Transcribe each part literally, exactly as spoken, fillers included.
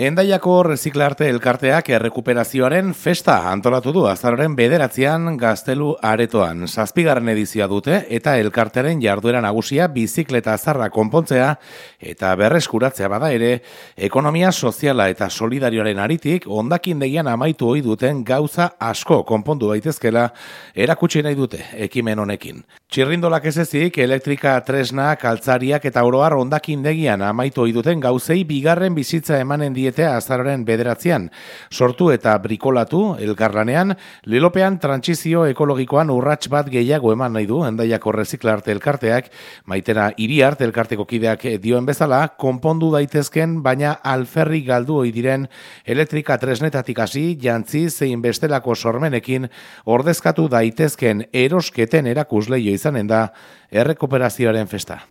Hendaiako Reziklarte elkarteak errekuperazioaren festa antolatu du azaroaren bederatzean Gaztelu aretoan. Zazpigarren edizioa dute eta elkartearen jarduera nagusia bizikleta zarra konpontzea eta berreskuratzea bada ere, ekonomia soziala eta solidarioaren aritik hondakindegian amaitu ohi duten gauza asko konpondu daitezkela erakutsi nahi dute ekimen honekin. Txirrindolak ez ezik, elektrika, tresna, kaltzariak eta oroar hondakindegian amaitu ohi duten gauzei bigarren bizitza emanen diete azaroaren bederatzean. Sortu eta brikolatu elkarlanean, lelopean trantsizio ekologikoan urrats bat gehiago eman nahi du Hendaiako Reziklarte elkarteak, Maitena Iriart elkarteko kideak dioen bezala, konpondu daitezken baina alferri galdu ohi diren elektrika tresnetatik hasi, jantzi zein bestelako sormenekin ordezkatu daitezken erosketen erakusleio izanen da errekuperazioaren festa.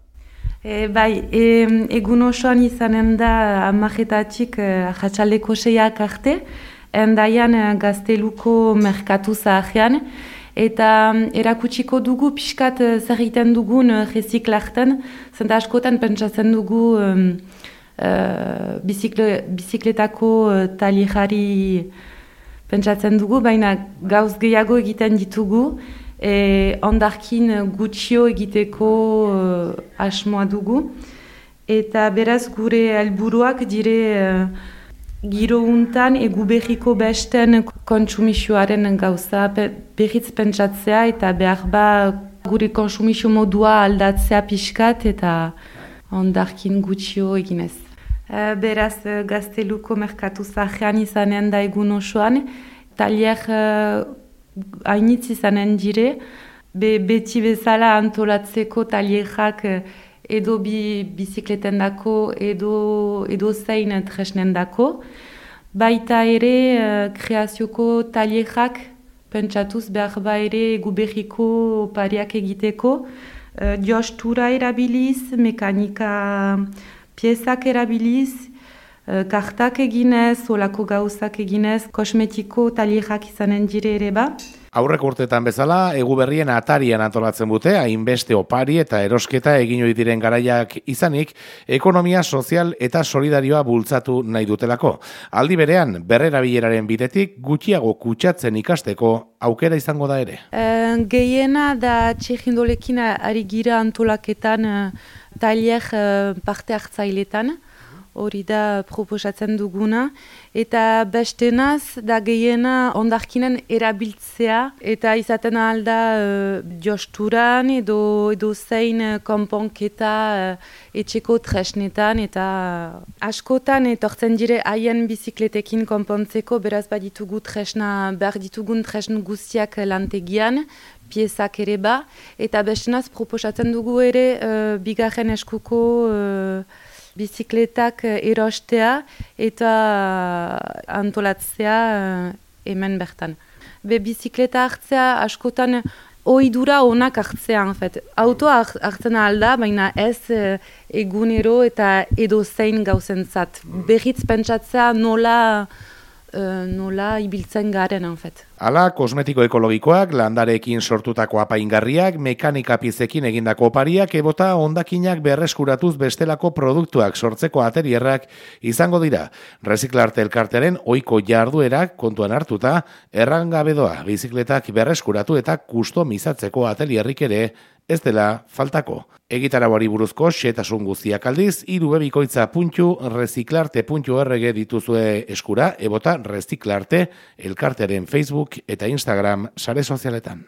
E, bai, e, egun osoan izanen da amaretatik e, jatxaldeko seiak arte, Hendaian Gazteluko merkatu zaharrean, eta erakutsiko dugu pixkat zer egiten dugun reziklarten, zenta askotan pentsatzen dugu um, uh, bizikle, bizikletako talierari pentsatzen dugu, baina gauz gehiago egiten ditugu, E, ondarkin gutxio egiteko uh, asmoa dugu. Eta beraz gure helburuak dire uh, giro untan egu berriko besten kontsumisioaren gauza pe, berriz pentsatzea eta behar ba gure konsumisio modua aldatzea pixkat eta ondarkin gutxio eginez. Uh, beraz uh, Gazteluko merkatu zaharrean izanen da egun osoan, talier uh, hainitz izanen dire, be, beti bezala antolatzeko talierak edo bi, bizikleten dako, edo, edo zein tresnen dako. Baita ere, uh, kreazioko talierak pentsatuz behar ba ere guberriko opariak egiteko, uh, jostura erabiliz, mekanika piezak erabiliz, kartak eginez, olako gauzak eginez, kosmetiko talierak izanen dire ere ba. Aurreko urteetan bezala, egu berrien atarian antolatzen dute, hainbeste opari eta erosketa egin ohi diren garaiak izanik, ekonomia sozial eta solidarioa bultzatu nahi dutelako. Aldi berean, berrerabileraren bidetik gutxiago kutsatzen ikasteko aukera izango da ere. E, gehiena da txirrindolekin ari gira antolaketan uh, talier uh, parte hartzailetan. Hori da proposatzen duguna, eta bestenaz da gehiena ondarkinen erabiltzea, eta izaten alda uh, josturan edo, edo zein konponketa uh, etxeko tresnetan, eta askotan etortzen dire haien bizikletekin konpontzeko, beraz baditugu tresna, behar ditugun tresn guztiak lantegian, piezak ere ba, eta bestenaz proposatzen dugu ere uh, bigarren eskuko uh, bizikletak erostea eta antolatzea hemen bertan. Be bizikleta hartzea askotan ohidura onak hartzea, en fait. Autoa hartzen alda, baina ez egunero eta edo zein gauzentzat. Berriz pentsatzea nola, uh, nola ibiltzen garen, en fait. Hala, kosmetiko ekologikoak, landareekin sortutako apaingarriak, mekanika piezekin egindako opariak, ebota hondakinak berreskuratuz bestelako produktuak sortzeko atelierrak izango dira. Reziklarte elkartearen ohiko jarduerak kontuan hartuta, errangabedoa bizikletak berreskuratu eta kustomizatzeko atelierrik ere ez dela faltako. Egitarauari buruzko xehetasun guztiak aldiz, irubebikoitza puntu reziklarte puntu org dituzue eskura, ebota Reziklarte elkartearen Facebook eta Instagram sare sozialetan.